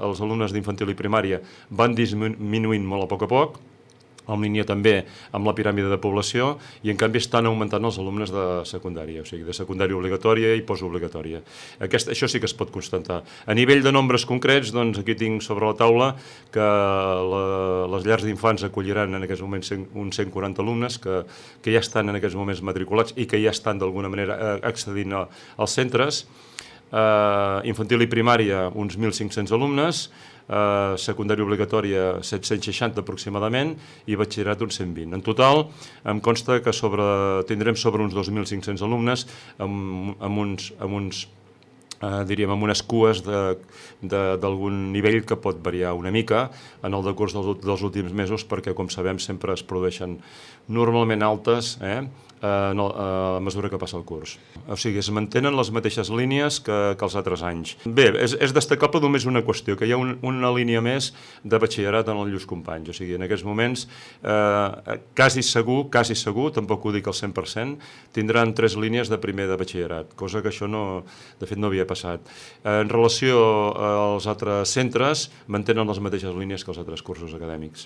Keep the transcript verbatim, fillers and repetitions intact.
els alumnes d'infantil i primària van disminuint molt a poc a poc, en línia també amb la piràmide de població, i en canvi estan augmentant els alumnes de secundària, o sigui, de secundària obligatòria i postobligatòria. Aquest, això sí que es pot constatar. A nivell de nombres concrets, doncs aquí tinc sobre la taula que la, les llars d'infants acolliran en aquests moments uns cent quaranta alumnes que, que ja estan en aquests moments matriculats i que ja estan d'alguna manera accedint a, als centres. Uh, infantil i primària, uns mil cinc-cents alumnes, uh, secundària obligatòria, set-cents seixanta aproximadament, i batxillerat, uns cent vint. En total, em consta que sobre, tindrem sobre uns dos mil cinc-cents alumnes amb, amb uns, amb uns Uh, diríem, amb unes cues d'algun nivell que pot variar una mica en el decurs dels, dels últims mesos, perquè, com sabem, sempre es produeixen normalment altes eh, uh, no, uh, a mesura que passa el curs. O sigui, es mantenen les mateixes línies que, que els altres anys. Bé, és, és destacable només una qüestió, que hi ha un, una línia més de batxillerat en els Lluís Companys. O sigui, en aquests moments, eh, quasi segur, quasi segur, tampoc ho dic al cent per cent, tindran tres línies de primer de batxillerat, cosa que això no, de fet no havia passat. En relació als altres centres, mantenen les mateixes línies que els altres cursos acadèmics.